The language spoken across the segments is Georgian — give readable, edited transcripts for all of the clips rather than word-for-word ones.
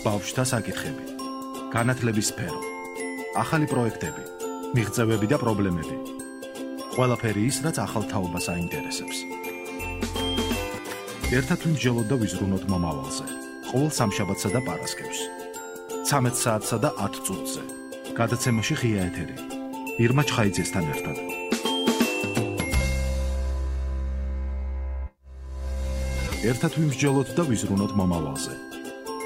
ბავშვთა საკითხები, განათლების სფერო, ახალი პროექტები, მიღწევები და პრობლემები. ყველაფერი ის, რაც ახალ თაობას აინტერესებს. ერთად ვიმსჯელოთ და ვიზრუნოთ მომავალზე. ყოველ სამშაბათსა და პარასკევს. 13 საათსა და 10 წუთზე. გადაცემაში ღია ეთერი. ირმა ჩხაიძესთან ერთად. ერთად ვიმსჯელოთ და ვიზრუნოთ მომავალზე.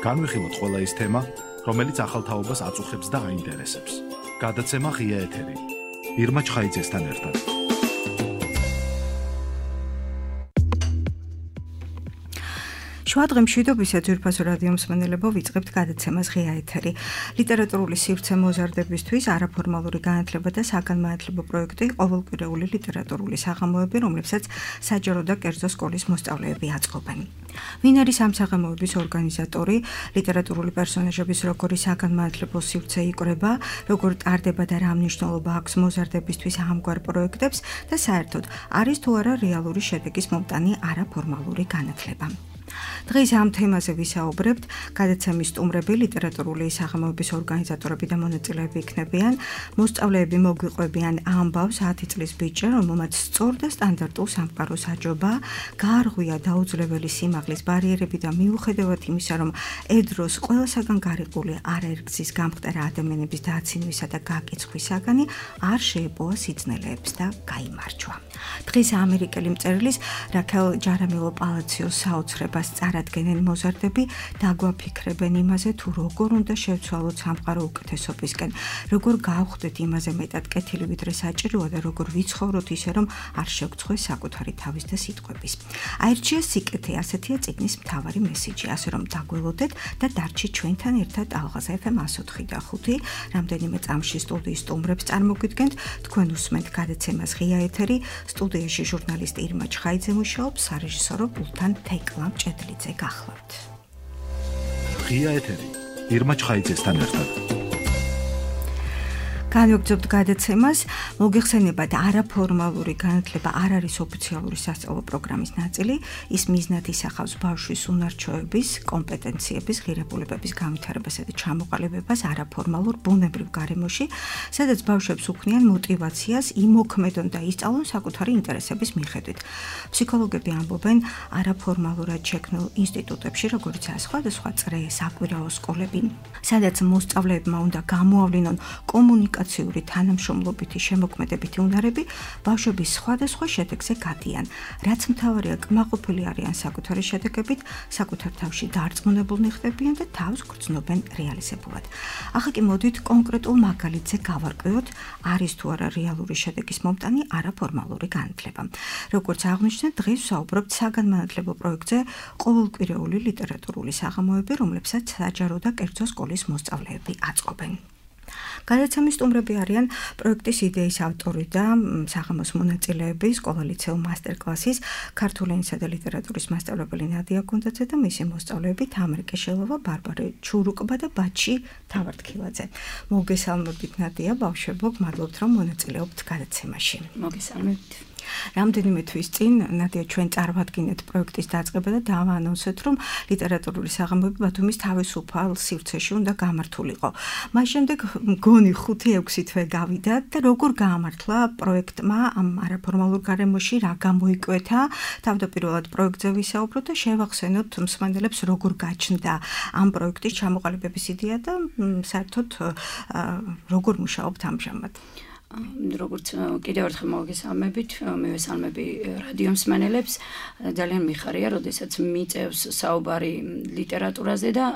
განვიხილოთ ყველა ის თემა, რომელიც ახალ თაობას აწუხებს და აინტერესებს. გადაცემა ღია ეთერი. ირმა ჩხაიძესთან ერთად. შუადღე მშვიდობისა ძვირფასო რადიო მსმენელებო, ვიწყებთ გადაცემას ღია ეთერი. ლიტერატურული სივრცე მოზარდებისთვის არაფორმალური განათლება და საგანმანათლებლო პროექტი ყოველკვირეული ლიტერატურული საღამოები, რომლებსაც საჯარო და კერძო სკოლის მოსწავლეები აწყობენ. ვინ არის ამ საღამოების ორგანიზატორი? ლიტერატურული პერსონაჟების როგორი საგანმანათლებლო სივრცე იკვრება, როგორ ტარდება და რა მნიშვნელობა აქვს მოზარდებისთვის ამგვარ პროექტებს და საერთოდ არის თუ არა რეალური შედეგის მომტანი არაფორმალური განათლება. დღეს ამ თემაზე ვისაუბრებთ. გადაცემის სტუმრები ლიტერატურული საღამოების ორგანიზატორები და მონაწილეები იქნებიან. მოსწავლეები მოგვიყვებიან ამბავს 10 წლის ბიჭზე, რომელმაც სწორ და სტანდარტულ სამყაროს აჯობა, გაარღვია დაუძლეველი სიმაღლის ბარიერები და მიუხედავად იმისა, რომ ედროს ყველასაგან გარიყული არაერთგზის გამხდარა ადამიანების დაცინვისა და გაკიცხვისაგანი არ შეეპოვა სიძნელეებს და გაიმარჯვა. დღეს ამერიკელი მწერლის რაქელ ჯარამილო პალაციოს საოცრებას წარადგენენ მოზარდები, დაგვაფიქრებენ იმაზე, თუ როგორ უნდა შევცვალოთ სამყარო უკეთესობისკენ, როგორ გავხდეთ იმაზე მეტად კეთილი ვიდრე საჭიროა და როგორ ვიცხოვროთ ისე, რომ არ შევგცხვეს საკუთარი თავის და სიტყვების. აირჩია სიკეთე, ასეთია წიგნის მთავარი მესიჯი, ასე რომ დაგველოდეთ და დარჩით ჩვენთან ერთად ალღაზ FM 104 და 5. რამდენიმე წამში სტუდიის სტუმრებს წარმოგვიდგენთ, თქვენ უსმენთ გადაცემას ღია ეთერი. სტუდიაში ჟურნალისტი ირმა ჩხაიძე მუშაობს, სარეჟისორო პულტთან თეკლამ ჭედლიძე გახლავთ. ღია ეთერი. ირმა ჩხაიძესთან ერთად. განვაგრძობთ გადაცემას. მოგეხსენებათ, არაფორმალური განათლება არ არის ოფიციალური სასწავლო პროგრამის ნაწილი. ის მიზნად ისახავს ბავშვის უნარჩვევების, კომპეტენციების, ღირებულებების განვითარებასა და ჩამოყალიბებას არაფორმალურ ბუნებრივ გარემოში, სადაც ბავშვებს უქმნიან მოტივაციას იმოქმედონ და ისწავლონ საკუთარი ინტერესების მიხედვით. ფსიქოლოგები ამბობენ, არაფორმალურად შექმნილ ინსტიტუტებში, როგორიცაა სხვადასხვა წრე, საკვირაო სკოლები, სადაც მოსწავლეებმა უნდა გამოავლინონ კომუნიკაციური თანამშრომლობითი შემოქმედებითი უნარები, ბავშვები სხვადასხვა შედეგზე გადიან. რაც მთავარია, კმაყოფილი არიან საკუთარი შედეგებით, საკუთარ თავში დარწმუნებულნი ხდებიან და თავს გრძნობენ რეალიზებულად. ახლა კი მოდით კონკრეტულ მაგალითზე გავარკვევოთ, არის თუ არა რეალური შედეგის მომტანი არაფორმალური განათლება. როგორც აღვნიშნეთ, დღეს ვსაუბრობთ საგანმანათლებლო პროექტზე ყოველკვირეული ლიტერატურული საღამოები, რომლებსაც საჯარო და კერძო სკოლის მოსწავლეები აწყობენ. გადაცემის სტუმრები არიან პროექტის იდეის ავტორი და საღამოს მონაწილეები, სკოლა-ლიცეუმ მასტერკლასის ქართული ენისა და ლიტერატურის მასწავლებელი ნადია გუნდაძე და მისი მოსწავლეები თამარ კეშელოვა, ბარბარე ჩურუკბა და ბაჩი თავართქილაძე. მოგესალმებით ნადია, ბავშვებო, მადლობთ რომ მონაწილეობთ გადაცემაში. მოგესალმებით. რამდენიმე თვის წინ ნადია ჩვენ წარმოვადგინეთ პროექტის დაწყება და დავაანონსეთ, რომ ლიტერატურული საღამოები ბათუმის თავისუფალ სივრცეში უნდა გამართულიყო. მას შემდეგ მგონი 5-6 თვე გავიდა და როგორ გაამართლა პროექტმა ამ არაფორმალურ გარემოში, რა გამოიკვეთა, თავდაპირველად პროექტზე ვისაუბროთ და შევახსენოთ მსმენელებს, როგორ გაჩნდა ამ პროექტის ჩამოყალიბების იდეა და საერთოდ როგორ მუშაობთ ამჟამად. როგორც კიდევ ერთხელ მოგესალმებით, მივესალმები რადიო მსმენელებს. ძალიან მიხარია, როდესაც მიწევს საუბარი ლიტერატურაზე და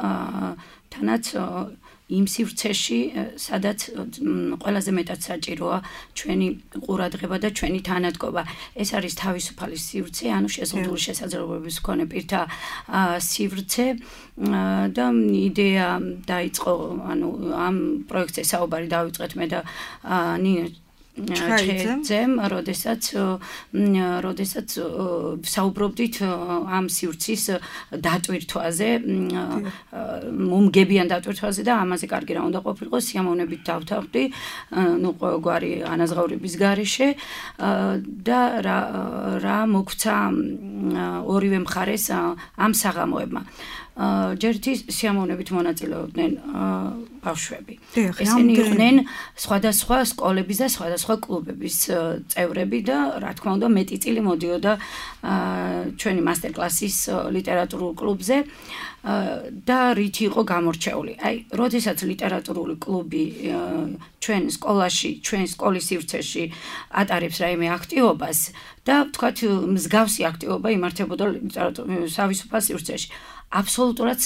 თანაც იმ სივრცეში, სადაც ყველაზე მეტად საჭიროა ჩვენი ყურადღება და ჩვენი თანადგობა. ეს არის თავისუფალი სივრცე, ანუ შეზღუდული შესაძლებლობების მქონე პირთა სივრცე და იდეა დაიწყო, ანუ ამ პროექტზე საუბარი დავიწყეთ მე და ნინო ჩხაიძემ, როდესაც საუბრობდით ამ სივრცის დატვირთვაზე, მომგებიან დატვირთვაზე და ამაზე კარგი რა უნდა ყოფილიყო, სიამოვნებით დავთანხმდი, ნუ ყოველგვარი ანაზღაურების გარეშე და რა მოგვცა ორივე მხარეს ამ საღამოებმა. ჯერთი სიამოვნებით მონაწილეობდნენ ბავშვები. ესენი იყვნენ სხვადასხვა სკოლების და სხვადასხვა კლუბების წევრები და რა თქმა უნდა მეტი წილი მოდიოდა ჩვენი მასტერკლასის ლიტერატურულ კლუბზე და რითი იყო გამორჩეული. აი, როდესაც ლიტერატურული კლუბი ჩვენ სკოლაში, ჩვენ სკოლის სივრცეში ატარებს რაიმე აქტივობას და თქვათ მსგავსი აქტივობა იმართებოდა თავისუფალ სივრცეში. აბსოლუტურად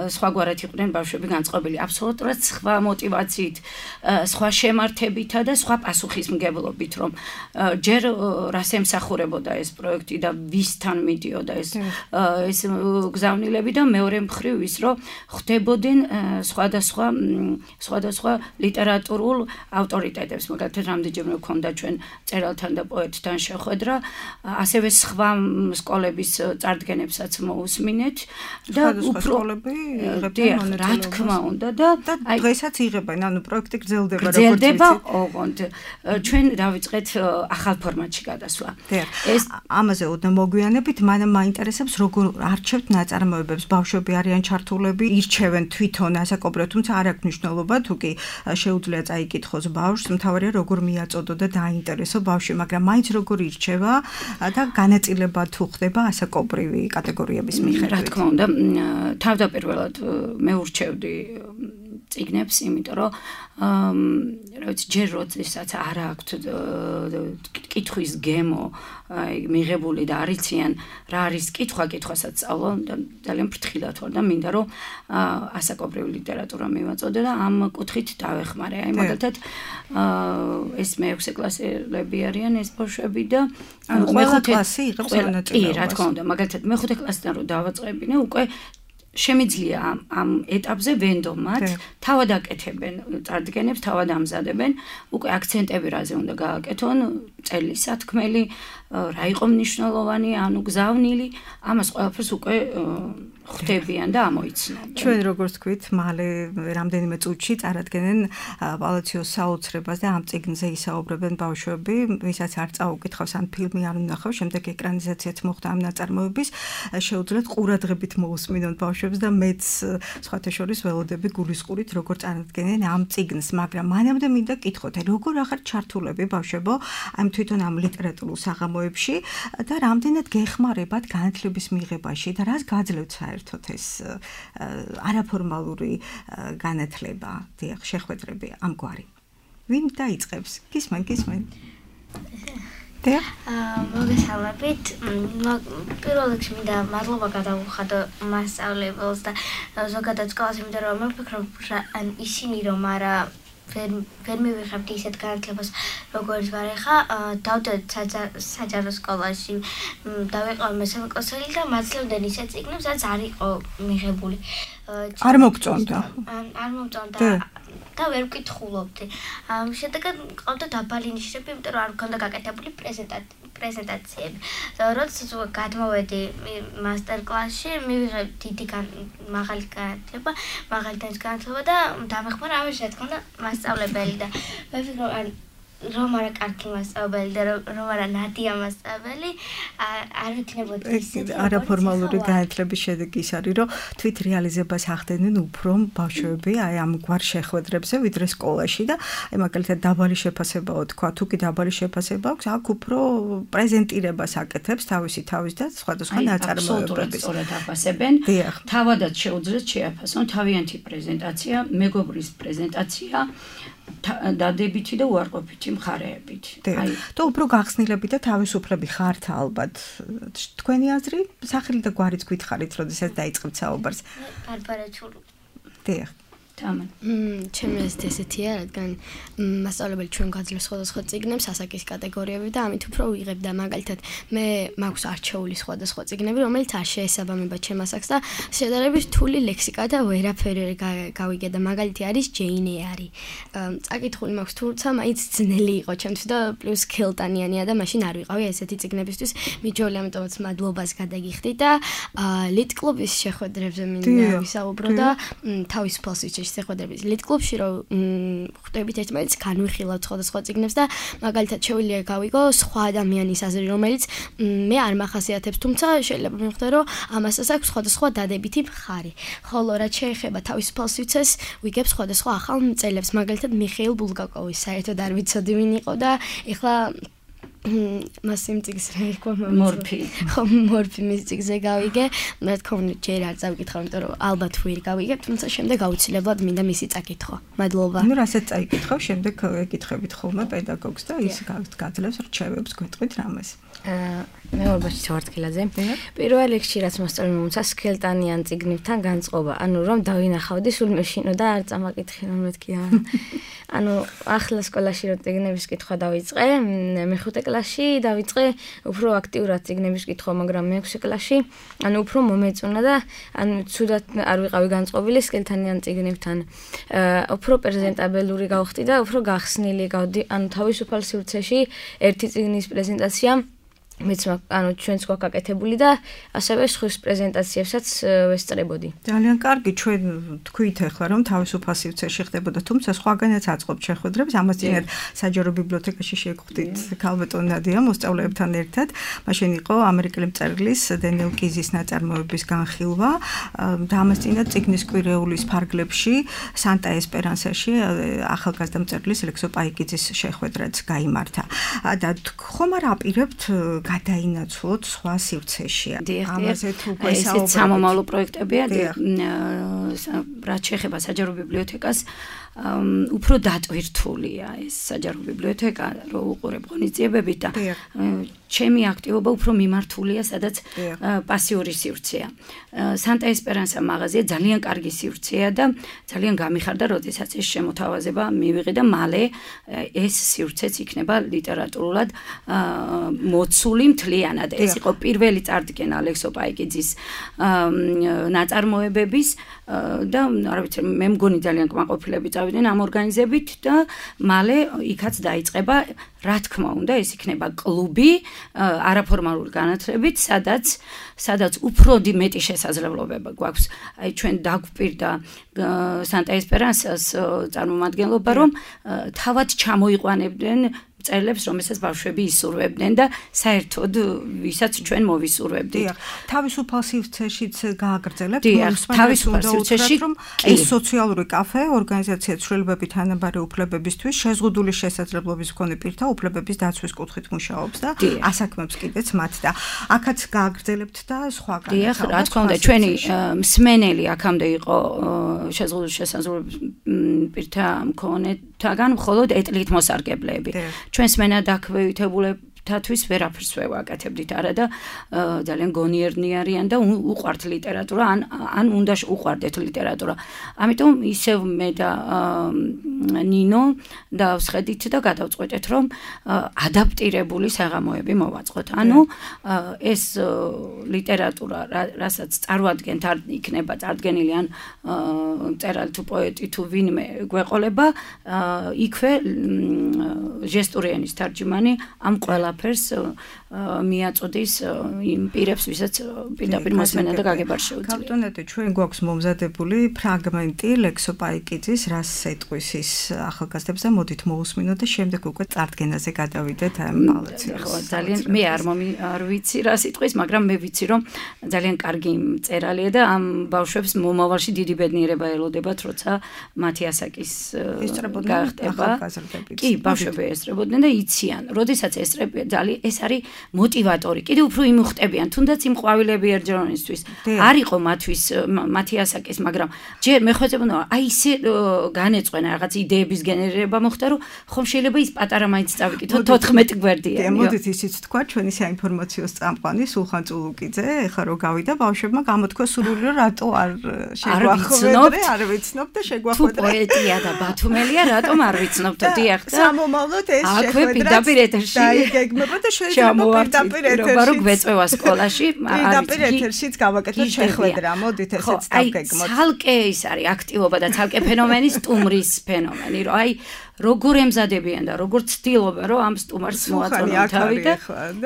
სხვაგვარად იყვნენ ბავშვები განწყობილი, აბსოლუტურად სხვა მოტივაციით, სხვა შემართებითა და სხვა პასუხისმგებლობით, რომ ჯერ რას ემსახურებოდა ეს პროექტი და ვისთან მიდიოდა ეს გზავნილები და მეორე მხრივ ის, რომ ხდებოდნენ სხვადასხვა ლიტერატურულ ავტორიტეტებს, მაგალითად რამდენჯერმე გვქონდა ჩვენ წერალთან და პოეტთან შეხვედრა, ასევე სხვა სკოლების წარდგენებსაც მოусმინეთ და უფრო რა თქმა უნდა და დღესაც იღებენ, ანუ პროექტი გრძელდება როგორც ვიცი. ოღონდ ჩვენ დავიწყეთ ახალ ფორმატში გადასვლა. ეს ამაზე ოდნავ მოგვიანებით, მანამ მაინტერესებს როგორ არჩევთ ნაწარმოებებს, ბავშვები არიან ჩართულები, ირჩევენ თვითონ ასაკობრივად, თუმცა არ აქვს მნიშვნელობა, თუ კი შეუძლია წაიკითხოს ბავშვს, მთავარია როგორ მიაწოდო და დაინტერესო ბავშვი, მაგრამ მაინც როგორ ირჩევა და განაწილება თუ ხდება ასაკობრივი კატეგორიების მიხედვით. რა თქმა უნდა, თავდაპირველად მე ურჩევდი წიგნებს, იმიტომ რომ რა ვიცი, ჯერ როდესაც არ აქვთ კითხვის გემო, მიღებული და არიციან რა არის კითხვასაც სწავლო და ძალიან ფრთხილად ვარ და მინდა რომ ასაკობრივი ლიტერატურა მივაწოდე და ამ კუთხით დავეხმარე. აი მაგალითად ეს მე-6 კლასელები არიან ეს ბავშვები და ყველა კლასი იღებს მონაწილეობას. კი, რა თქმა უნდა, მაგალითად მე-5 კლასიდან რომ დავაწყებინე, უკვე შემიძლია ამ ეტაპზე ვენდომად თავად აკეთებენ წარდგენებს, თავად ამზადებენ, უკვე აქცენტები რაზე უნდა გააკეთონ, წელის სათქმელი, რა იყო მნიშვნელოვანი, ანუ გზავნილი, ამას ყველაფერს უკვე ხვდებიან და ამოიცნობენ. ჩვენ როგორც თქვით, მალე რამდენიმე წუთში წარადგენენ პალაციოს საოცრებას და ამ წიგნზე ისაუბრებენ ბავშვები, ვისაც არ წაუკითხავს ან ფილმი არ უნახავს, შემდეგ ეკრანიზაციაც მოხდა ამ ნაწარმოების, შეუძლიათ ყურადღებით მოусმინონ ბავშვებს და მეც სხვათა შორის ველოდები გულისყურით, როგორ წარადგენენ ამ წიგნს, მაგრამ მანამდე მინდა კითხოთ, როგორ ახარ ჩართულები ბავშვებო ამ თვითონ ამ ლიტერატურულ საღამოებში და რამდენად გეხმარებათ განათლების მიღებაში და რას გაძლევთ საერთოდ ეს არაფორმალური განათლება, დიახ, შეხვედრები ამგვარი. ვინ დაიწყებს? გისმენ. დიახ. მოგესალმებით. პირველ რიგში მინდა მადლობა გადავუხადო მასწავლებელს და ზოგადად სკოლას, იმიტომ რომ მე ვფიქრობ, ისინი რომ არა ვერ მივიღებთ ისეთ განათლებას, როგორც ვარ ახლა, დავდეთ საჯარო სკოლაში, დავიყავ მესამე კლასელი და მაცლევდნენ ისეთ წიგნებს, რაც არ იყო მიღებული. არ მოგწონდა. არ მომწონდა და ვერ ვკითხულობდი. შედეგად მყავდა დაბალი ნიშნები, იმიტომ რომ არ მქონდა გაკეთებული პრეზენტაციები. როდესაც გადმოვედი მასტერკლასში, მივიღე დიდი მაღალი განათლება, მაღალი დონის განათლება და დამეხმარა ამაში, რა თქმა უნდა, მასწავლებელი და მე ვფიქრობ, რომ არა კარგი მასწავლებელი და რომ არა ნადია მასწავლებელი, არ ვიქნებოდი ისეთი არაფორმალური განათლების შედეგი ის არის, რომ თვით რეალიზებას ახდენენ უფრო ბავშვები აი ამგვარ შეხვედრებზე, ვიდრე სკოლაში და აი მაგალითად დაბალი შეფასებაო თქვა, თუ კი დაბალი შეფასება აქვს, აქ უფრო პრეზენტირებას აკეთებს თავის და სხვადასხვა ნაწარმოებების. სწორად აფასებენ. თავადაც შეუძლიათ შეაფასონ თავიანთი პრეზენტაცია, მეგობრის პრეზენტაცია დადებითი და უარყოფითი მხარეებით. აი, თუ უფრო გახსნილები და თავისუფლები ხართ ალბათ. თქვენი აზრი, სახელი და გვარიც გითხარით, როდესაც დაიწყებთ საუბარს. ბარბარაჩული. დიახ. ჩემი აზრით ესეთია, რადგან მასწავლებელი ჩვენ გაძლევს სხვადასხვა წიგნებს, ასაკის კატეგორიები და ამით უფრო ვიღებ და მაგალითად მე მაქვს არჩეული სხვადასხვა წიგნები, რომელიც არ შეესაბამება ჩემ ასაკს და შედარებით რთული ლექსიკა და ვერაფერი გავიგე და მაგალითი არის ჯეინ ეარი. წაკითხული მაქვს, თუმცა მაინც ძნელი იყო ჩემთვის და პლუს ქელტანიანია და მაშინ არ ვიყავი ესეთი წიგნებისთვის. მიჯოლი, ამიტომაც მადლობას გადაგიხდი და ლიტ კლუბის შეხვედრებზე მინდა ვისაუბრო და თავისუფალ სივრცეში წიგნებში შეხვედრების ლით კლუბში რომ ხვდებით ერთმანეთს განვიხილავთ სხვადასხვა წიგნებს და მაგალითად შეგვიძლია გავიგო სხვა ადამიანის აზრი რომელიც მე არ მახასიათებს თუმცა შეიძლება მივხვდე რომ ამასაც აქვს სხვადასხვა დადებითი მხარი ხოლო რაც შეეხება თავისუფალ სივრცეს ვიგებ სხვადასხვა ახალ მწერლებს მაგალითად მიხეილ ბულგაკოვის საერთოდ არ ვიცოდი ვინ იყო და ეხლა მას იმ წიგნს რა იყო მორფი ხო მორფი მის წიგნზე გავიგე მე თქო ჯერ არ წავიკითხავ იმიტომ რომ ალბათ ვერ გავიგებ თუმცა შემდეგ აუცილებლად მინდა მისი წაკითხვა მადლობა ну რასაც წაიკითხავ შემდეგ ეკითხებით ხოლმე პედაგოგს და ის გაძლევს რჩევებს გვეტყვით რამეს მეურვეში თორთქილაძე პირველ რიგში რაც მოსწავლემ მომცა სქელტანიან წიგნებთან განწყობა ანუ რომ დავინახავდი სულ მეშინო და არ წამაკითხე რომ მეთქია ანუ ახლა სკოლაში რო წიგნების კითხვა დავიწყე მეხუთე კლასში დავიწყე უფრო აქტიურად წიგნების კითხვა მაგრამ მეექვსე კლასში ანუ უფრო მომეწონა და ანუ ცუდად არ ვიყავი განწყობილი სქელტანიან წიგნებთან უფრო პრეზენტაბელური გავხდი და უფრო გახსნილი გავდი ანუ თავისუფალ სივრცეში ერთი წიგნის პრეზენტაცია მეც ანუ ჩვენც გვაკაკეთებული და ასევე სხვის პრეზენტაციებსაც ვესწრებოდი. ძალიან კარგი, ჩვენ თქვით ახლა რომ თავისუფალ სივრცეში ხდებოდა, თუმცა სხვაგანაც აწყობთ შეხვედრებს, ამას წინათ საჯარო ბიბლიოთეკაში შეგხვდით ქალბატონ ნადია მოსწავლეებთან ერთად. მაშინ იყო ამერიკელი მწერლის დენიელ კიზის ნაწარმოების განხილვა და ამას წინათ წიგნის კვირეულის ფარგლებში სანტა ესპერანსაში ახალგაზრდა მწერლის ლექსო პაიკიძის შეხვედრაც გაიმართა. და ხომ არ აპირებთ გადაინაცვლოთ სხვა სივრცეში. ამაზე თუ გვესაუბრებთ. ეს სამომავლო პროექტებია, რაც შეეხება საჯარო ბიბლიოთეკას, უფრო დატვირთულია ეს საჯარო ბიბლიოთეკა, რო უყურებ ღონისძიებებით და ჩემი აქტივობა უფრო მიმართულია, სადაც პასიური სივრცეა. სანტა ესპერანსა მაღაზია ძალიან კარგი სივრცეა და ძალიან გამიხარდა, როდესაც ეს შემოთავაზება მივიღე და მალე ეს სივრცეც იქნება ლიტერატურულად მოცული მთლიანად. ეს იყო პირველი წარდგენა ალექსო პაიკიძის ნაწარმოებების და არ ვიცი, მე მგონი ძალიან კმაყოფილები წავიდნენ ამ ორგანიზებით და მალე იქაც დაიწყება, რა თქმა უნდა, ეს იქნება კლუბი არაფორმალური განათლებით, სადაც უფრო მეტი შესაძლებლობება გვაქვს. აი ჩვენ დაგვპირდა სანტა ესპერანსას წარმომადგენლობა, რომ თავად ჩამოიყვანებდნენ მწერლებს, რომელსაც ბავშვები ისურვებდნენ და საერთოდ ვისაც ჩვენ მოვისურვებდით. თავისუფალ სივრცეშიც გააგრძელებთ თავისუფალ სივრცეში ეს სოციალური კაფე, ორგანიზაცია ცვლილებები თანაბარი უფლებებისთვის შეზღუდული შესაძლებლობის მქონე პირთა უფლებების დაცვის კუთხით მუშაობს და ასაქმებს კიდეც მათ და აქაც გააგრძელებთ და სხვაგან. დიახ, რა თქმა უნდა, ჩვენი მსმენელი აქამდე იყო შეზღუდული შესაძლებლობის პირთა მქონეთაგან მხოლოდ ეტლით მოსარგებლეები. ჩვენს მენა დაქვეითებულებთათვის ვერაფერს ვაკეთებდით არა და ძალიან გონიერნი არიან და უყვართ ლიტერატურა ან უნდა უყვარდეთ ლიტერატურა. ამიტომ ისევ მე და ნინო დავსხედით და გადავწყვეტეთ რომ ადაპტირებული საღამოები მოვაწყოთ. ანუ ეს ლიტერატურა რასაც წარმოადგენთ არ იქნება წარდგენილი ან მწერალი თუ პოეტი თუ ვინმე გვეყოლება იქვე ჟესტური ენის თარჯიმანი ამ ყველაფერს მიაწოდის იმ პირებს, ვისაც პირდაპირ მოსმენა და გაგება შეუძლია. კაპიტონეტი, ჩვენ გვაქვს მომზადებული ფრაგმენტი ლექსო პაიკიძის რას ეტყვის ის ახალგაზრდებს და მოდით მოусმინოთ და შემდეგ უკვე წარდგენაზე გადავიდეთ ამ ბალანსს. ხო, ძალიან მე არ ვიცი რას იტყვის, მაგრამ მე ვიცი რომ ძალიან კარგი მწერალია და ამ ბავშვებს მომავალში დიდი ბედნიერება ელოდებათ, როცა მათი ასაკის გახდება. კი, ბავშვები ესწრებოდნენ და იციან, როდესაც ესწრებიან, ეს არის მოტივატორი. კიდევ უფრო იმუხტებიან, თუნდაც იმ ყვავილები ერჯერონისთვის არ იყო მათთვის მათი ასაკის, მაგრამ ჯერ მე ხვეწებოდი, აი ისე განეწყვენა რაღაც იდეების გენერირება მოხდა, რომ ხომ შეიძლება ის პატარა მაინც წავიკითხოთ 14 გვერდიანი. მოდით ისიც თქვა ჩვენი საინფორმაციო წამყვანი სულხან წულუკიძე, ეხლა რო გავიდა ბავშვებმა გამოთქვა სურვილი, რომ რატო არ შეგვახვედრე, არ ვიცნობ და შეგვახვედრე. თუ პოეტია და ბათუმელია, რატომ არ ვიცნობთ? დიახ, სამომავლოდ ეს შეხვედრა პირდაპირ ეთერში დაიგეგმება და შეიძლება პირდაპირ ეთერში რო გვეწევა სკოლაში პირდაპირ ეთერშიც გავაკეთოთ შეხვედრა. მოდით ესეც დავგეგმოთ. ცალკე ის არის აქტივობა და ცალკე ფენომენი სტუმრის ფენომენი, რომ აი როგორ ემზადებიან და როგორ ცდილობენ რომ ამ სტუმარს მოაწონონ თავი და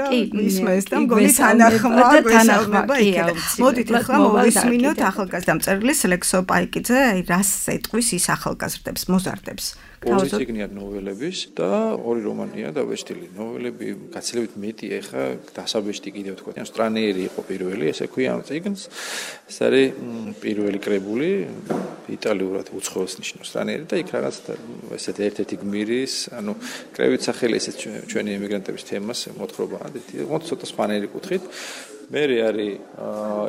კი ისმეს და მგონი თანახმა გვესალმება იქ. მოდით ახლა მოვისმინოთ ახალგაზრდა მწერლის ლექსო პაიკიძე, რას ეტყვის ის ახალგაზრდებს, მოზარდებს. ორი ციგნია ნოველების და ორი რომანია დაბეჭდილი. ნოველები გაცილებით მეტი ეხა დასაბეჭდი კიდევ თქვა. ან სტრანიერი იყო პირველი, ესე ქვია ამ ციგნს. ეს არის პირველი კრებული, იტალიურად უცხოელს ნიშნავს სტრანიერი და იქ რაღაც ესეთი ერთ-ერთი გმირის, ანუ კრებით სახელი ესეც ჩვენი ემიგრანტების თემას მოთხრობაა. მოდი ცოტა სხვანაირი კუთხით. მერე არის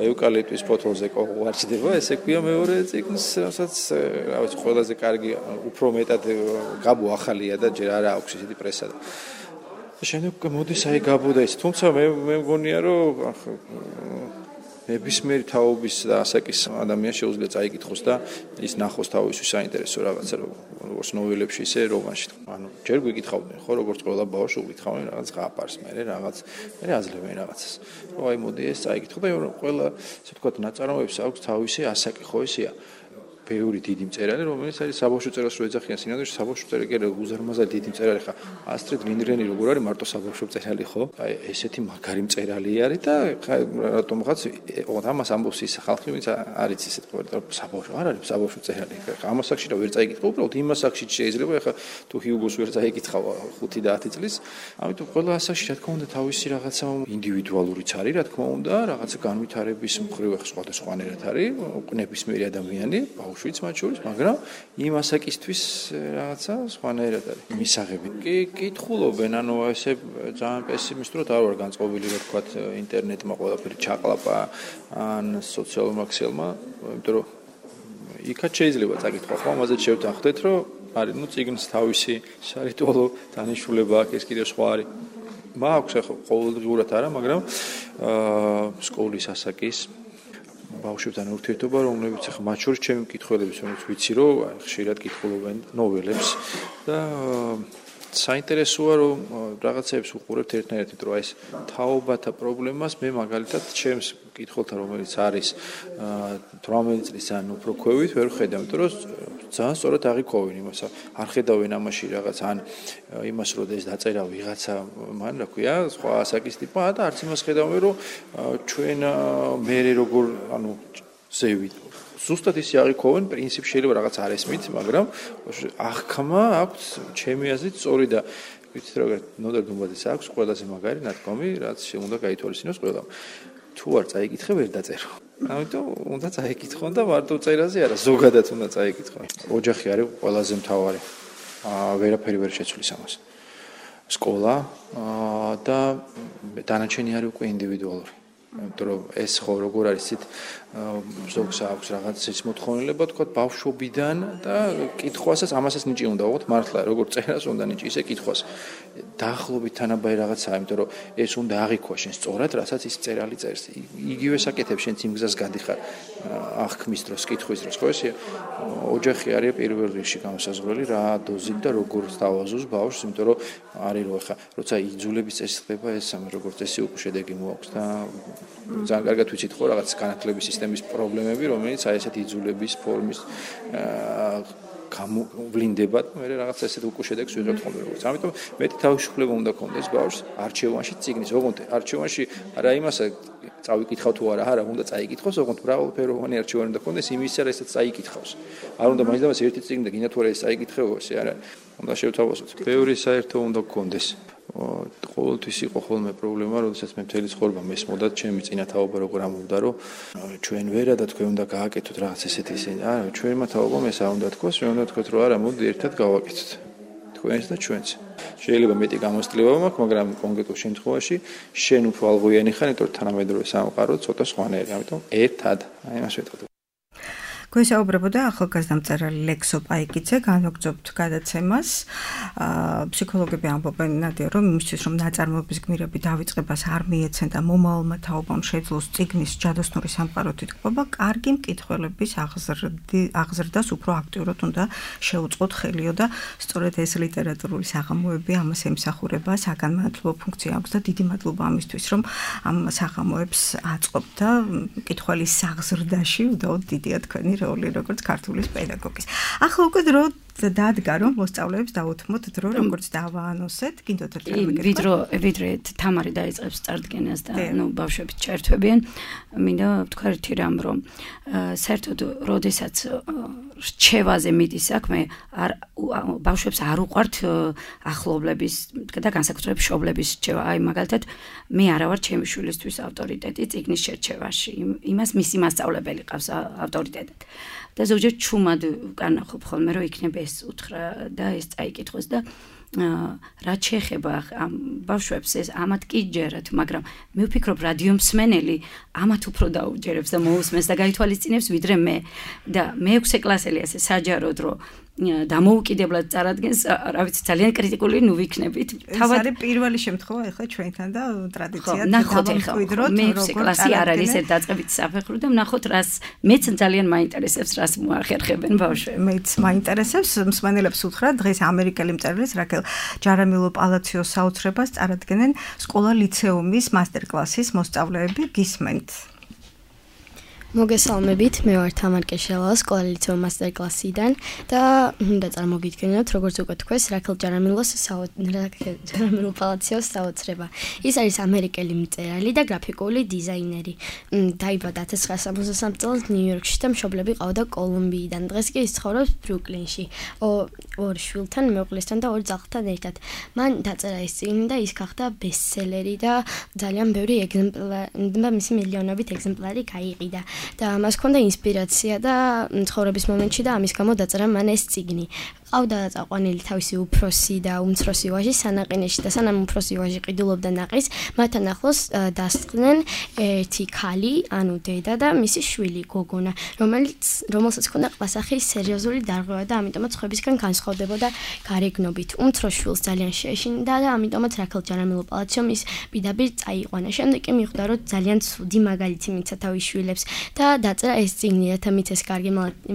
ევკალიპტის ფოთოლზე ყوارჩდება, ესე ქვია მეორე ციგნს, რასაც რა ვიცი, ყველაზე კარგი უფრო მეტად გაბო ახალია და ჯერ არა აქვს ისეთი პრესა და შემდეგ მოდის აი გაბო და ის, თუმცა მე მგონია რომ ნებისმიერი თაობის და ასაკის ადამიანს შეუძლია წაიკითხოს და ის ნახოს თავისთვის საინტერესო რაღაცა, როგორც ნოველებში, ისე რომანში. ანუ ჯერ გვიკითხავდნენ, ხო, როგორც ყველა ბავშვი უგითხავენ რაღაც ღაპარს, მე აძლევენ რაღაცას. რომ აი მოდი ეს წაიკითხო და ყველა, ასე ვთქვათ, ნაწარმოებს აქვს თავისი ასაკი, ხო ისეა. ბევრი დიდი მწერალი, რომელიც არის საბავშვო წერილს რო ეძახიან სინამდვილეში, საბავშვო წერილი კი უზარმაზარი დიდი მწერალი ხა. ასტრიდ ლინდგრენი როგორ არის მარტო საბავშვო მწერალი, ხო? აი ესეთი მაგარი მწერალი არის და რატომღაც ამას ამბობს ის ხალხი, ვინც არის ისეთ ყოველდღე საბავშვო არ არის საბავშვო მწერალი. ამას აქში რა ვერ წაიკითხო, უბრალოდ იმას აქში შეიძლება ხა თუ ჰიუგოს ვერ წაიკითხავ 5 და 10 წლის. ამიტომ ყველა ასაკში რა თქმა უნდა თავისი რაღაცა ინდივიდუალურიც არის, რა თქმა უნდა, რაღაცა განვითარების მხრივ სხვადასხვანაირად არის, ნებისმიერი ადამიანი შვიც მათ შორის, მაგრამ იმ ასაკისთვის რაღაცა სხვანაირად არის. მისაღები კი კითხულობენ, ანუ ესე ძალიან პესიმისტურად არ ვარ განწყობილი, რა თქვა, ინტერნეტმა ყველაფერი ჩაყლაპა ან სოციალურმა ქსელმა, იმიტომ რომ იქაც შეიძლება წაკითხვა, ხო, ამაზე შევთანხმდეთ, რომ არის, ну, ციგნს თავისი სარიტუალო დანიშნულება აქვს, ეს კიდევ სხვა არის. მაქვს ახლა ყოველდღიურად არა, მაგრამ სკოლის ასაკის ბავშვებთან ურთიერთობა, რომლებიც ახლა მათ შორის ჩემი მკითხველების, რომელიც ვიცი, რომ ხშირად კითხულობენ ნოველებს და საინტერესოა, რომ რაღაცებს უყურებთ ერთნაირად, იმიტომ რომ ეს თაობათა პრობლემას მე მაგალითად ჩემს მკითხველთან, რომელიც არის 18 წლის ან უფრო ქვევით, ვერ ხედავ, იმიტომ რომ ძალიან სწორად აღიქვავენ იმას, არ ხედავენ ამაში რაღაც ან იმას, რომ ეს დაწერა ვიღაცა, მან რა ქვია, სხვა ასაკის ტიპა და არც იმას ხედავენ, რომ ჩვენ მე როგორ, ანუ ზევით ზუსტად ისე აღიქვავენ, პრინციპი შეიძლება რაღაც არ ესმით, მაგრამ აღქმა აქვს ჩემი აზრით სწორი და ვიცით რა ნოდარ დუმბაძეს აქვს ყველაზე მაგარი ნათქვამი, რაც უნდა გაითვალისწინოს ყველამ. თუ არ წაიკითხე, ვერ დაწერო. ამიტომ უნდა წაიკითხონ და მარტო წერაზე არა, ზოგადად უნდა წაიკითხონ. ოჯახი არის ყველაზე მთავარი. ვერაფერი ვერ შეცვლის ამას. სკოლა და დანარჩენი არის უკვე ინდივიდუალური. იმიტომ რომ ეს ხო როგორ არის ცით ზოგს აქვს რაღაც ის მოთხოვნილება თქვა ბავშვობიდან და კითხვასაც ამასაც ნიჭი უნდა აღვთ მართლა როგორ წერას უნდა ნიჭი ისე კითხვას დაახლოებით თანაბარი რაღაცაა იმიტომ რომ ეს უნდა აღიქვა შენ სწორად რასაც ის წერალი წერს იგივე საკეთებს შენ იმ გზას გადიხარ აღქმის დროს კითხვის დროს ხო ესე ოჯახი არის პირველ რიგში განსაზღვრელი რა დოზით და როგორ სთავაზობს ბავშვს იმიტომ რომ არის რომ ხა როცა იძულების წესი ხდება ეს როგორც წესი უკვე შედეგი მოაქვს და ძალიან კარგად ვიცით ხო რაღაც განათლების სისტემის პრობლემები, რომელიც აი ესეთი იძულების ფორმის გამოვლინდება, მე რაღაც ესეთ უკვე შედეგს ვიღებთ ხოლმე როგორც. ამიტომ მეტი თავისუფლება უნდა გქონდეს ბავშვს არჩევანში წიგნის, ოღონდ არჩევანში არა იმასა წავიკითხავ თუ არა, უნდა წაიკითხოს, ოღონდ მრავალფეროვანი არჩევანი უნდა გქონდეს იმისა, რასაც წაიკითხავს. არ უნდა მაინც და მას ერთი წიგნი და გინდა თუ არა ეს წაიკითხეო, ესე არა. უნდა შევთავაზოთ. ბევრი საერთო უნდა გქონდეს. ყოველთვის იყო ხოლმე პრობლემა, როდესაც მე მთელი ცხოვრება მესმოდა ჩემი წინათაობა როგორ ამბობდა, რომ ჩვენ ვერა და თქვენ უნდა გააკეთოთ რაღაც ესეთი ისინი. არა, ჩვენმა თაობამ ეს არ უნდა თქვას, ჩვენ უნდა თქვათ, რომ არა, მოდი ერთად გავაკეთოთ. თქვენს და ჩვენს. შეიძლება მეტი გამოსწლება მაქვს, მაგრამ კონკრეტულ შემთხვევაში შენ უფრო ალღოიანი ხარ, იმიტომ რომ თანამედროვე სამყარო ცოტა სხვანაირი, ამიტომ ერთად. აი მას ვეთქვი. გვესაუბრებოდა ახალგაზრდა მწერალი ლექსო პაიკიძე, განვაგრძობთ გადაცემას. ფსიქოლოგები ამბობენ, ნადია, რომ იმისთვის, რომ ნაწარმოების გმირები დავიწყებას არ მიეცენ და მომავალმა თაობამ შეძლოს წიგნის ჯადოსნური სამყარო თითქმობა, კარგი მკითხველების აღზრდას უფრო აქტიურად უნდა შეუწყოთ ხელიო და სწორედ ეს ლიტერატურული საღამოები ამას ემსახურება, საგანმანათლებლო ფუნქცია აქვს და დიდი მადლობა ამისთვის, რომ ამ საღამოებს აწყობთ და მკითხველის აღზრდაში უდაოდ დიდია თქვენი როლი როგორც ქართულის პედაგოგის. ახლა უკვე დრო დადგა რომ მოსწავლეებს დაუთმოთ დრო როგორც დავაანონსეთ, კიდევ ერთხელ ვიდრე თამარი დაიწყებს წარდგენას და ბავშვები ჩაერთვებიან, მინდა ვთქვა ერთი რამ, რომ საერთოდ როდესაც რჩევაზე მიდის საქმე, ბავშვებს არ უყვართ ახლობლების და განსაკუთრებით მშობლების რჩევა. აი მაგალითად, მე არა ვარ ჩემი შვილისთვის ავტორიტეტი წიგნის შერჩევაში. იმას მისი მასწავლებელი ყავს ავტორიტეტად. და ზოგჯერ ჩუმად ვკარნახობ ხოლმე, რომ იქნება ეს უთხრა და ეს წაიკითხოს და რაც შეეხება ამ ბავშვებს ეს ამათ კი ჯერათ, მაგრამ მე ვფიქრობ რადიო მსმენელი ამათ უფრო დაუჯერებს და მოусმენს და გაითვალისწინებს ვიდრე მე. და მე-6 კლასელი ასე საჯაროდ რომ დამოუკიდებლად წარადგენს, რა ვიცი, ძალიან კრიტიკული ნუ ვიქნებით. თავად არის პირველი შემთხვევა ახლა ჩვენთან და ტრადიციად დავამკვიდროთ, მე-6 კლასი არ არის ერთ დაწყებით საფეხური და ვნახოთ რას მეც ძალიან მაინტერესებს, რას მოახერხებენ ბავშვები. მეც მაინტერესებს, მსმენელებს უთხრა დღეს ამერიკელი მწერლის რაკელ ჯარამილო პალაციოს საოცრებას წარადგენენ სკოლა-ლიცეუმის მასტერ-კლასის მოსწავლეები, გისმენთ. მოგესალმებით, მე ვარ თამარ კეშელა, სკოლა-ლიცეუმ მასტერ-კლასიდან და უნდა წარმოგიდგენოთ, როგორც უკვე თქვეს, რაკელ ჯარამილო პალაციოს საოცრება. ის არის ამერიკელი მწერალი და გრაფიკული დიზაინერი. დაიბადა 1963 წელს ნიუ-იორკში და მშობლები ყავდა კოლუმბიიდან. დღეს კი ის ცხოვრობს ბრუკლინში. ორ შვილთან, მეუღლესთან და ორ ძაღლთან ერთად. მან დაწერა ეს წიგნი და ის გახდა ბესტსელერი და ძალიან ბევრი ეგზემპლარი, მისი მილიონობით ეგზემპლარი გაიყიდა. და მას ჰქონდა ინსპირაცია და ცხოვრების მომენტში და ამის გამო დაწერა მან ეს წიგნი. ყავდა წაყვანილი თავისი უფროსი და უმცროსი ვაჟი სანაყინეში და სანამ უფროსი ვაჟი ყიდულობდა ნაყის, მათთან ახლოს დასწყდნენ ერთი ქალი, ანუ დედა და მისი შვილი გოგონა, რომელსაც ჰქონდა ყლასახის სერიოზული დარღვევა და ამიტომაც ხვებისგან განსხვავდებოდა გარეგნობით. უმცროს შვილს ძალიან შეეშინდა და ამიტომაც რაკელ ჯარამილო პალაციომ ის პირდაპირ წაიყვანა. შემდეგ კი მიხვდა, რომ ძალიან ცუდი მაგალითი მიცა თავის შვილებს და დაწერა ეს წიგნი, რათა მიცეს კარგი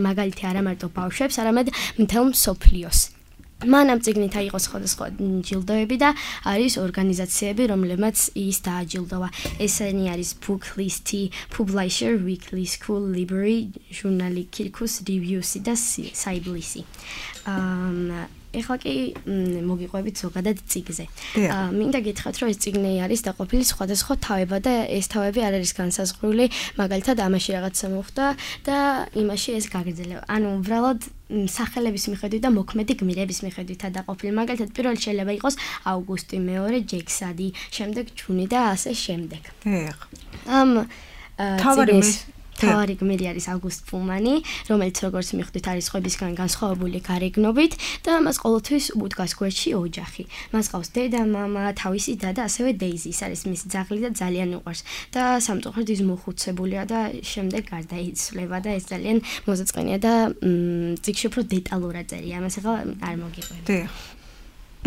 მაგალითი არა მარტო ბავშვებს, არამედ მთელ მსოფლიოს. მან ამ წიგნით აიღო სხვადასხვა ჯილდოები და არის ორგანიზაციები, რომლებმაც ის დააჯილდოვა. ესენი არის Booklist, Publisher Weekly, School Library, ჟურნალი Kirkus Reviews და Siblis. ეხლა კი მოგიყვებით ზოგადად წიგნზე. მინდა გითხრათ, რომ ეს წიგნი არის დაყოფილი სხვადასხვა თავებად და ეს თავები არ არის განსაზღვრული, მაგალითად ამაში რაღაცა მოხდა და იმაში ეს გაგრძელება. ანუ უბრალოდ სახელების მიხედვით და მოქმედი გმირების მიხედვითაა დაყოფილი. მაგალითად, პირველი შეიძლება იყოს აუგუსტი, მეორე ჯექსადი, შემდეგ ჯუნი და ასე შემდეგ. ამ თავარი გმირი არის აუგუსტ პუმანი, რომელიც როგორც მიხვდით არის ხვებისგან განსხვავებული გარეგნობით და მას ყოველთვის უდგას გვერდში ოჯახი. მას ყავს დედა, მამა, თავისი და ასევე დეიზი, ის არის მისი ძაღლი და ძალიან უყვარს. და სამწუხაროდ ის მოხუცებულია და შემდეგ გარდაიცვლება და ეს ძალიან მოზაწყენია და წიგნში უფრო დეტალურად წერია. ამას ახლა არ მოგიყვებით.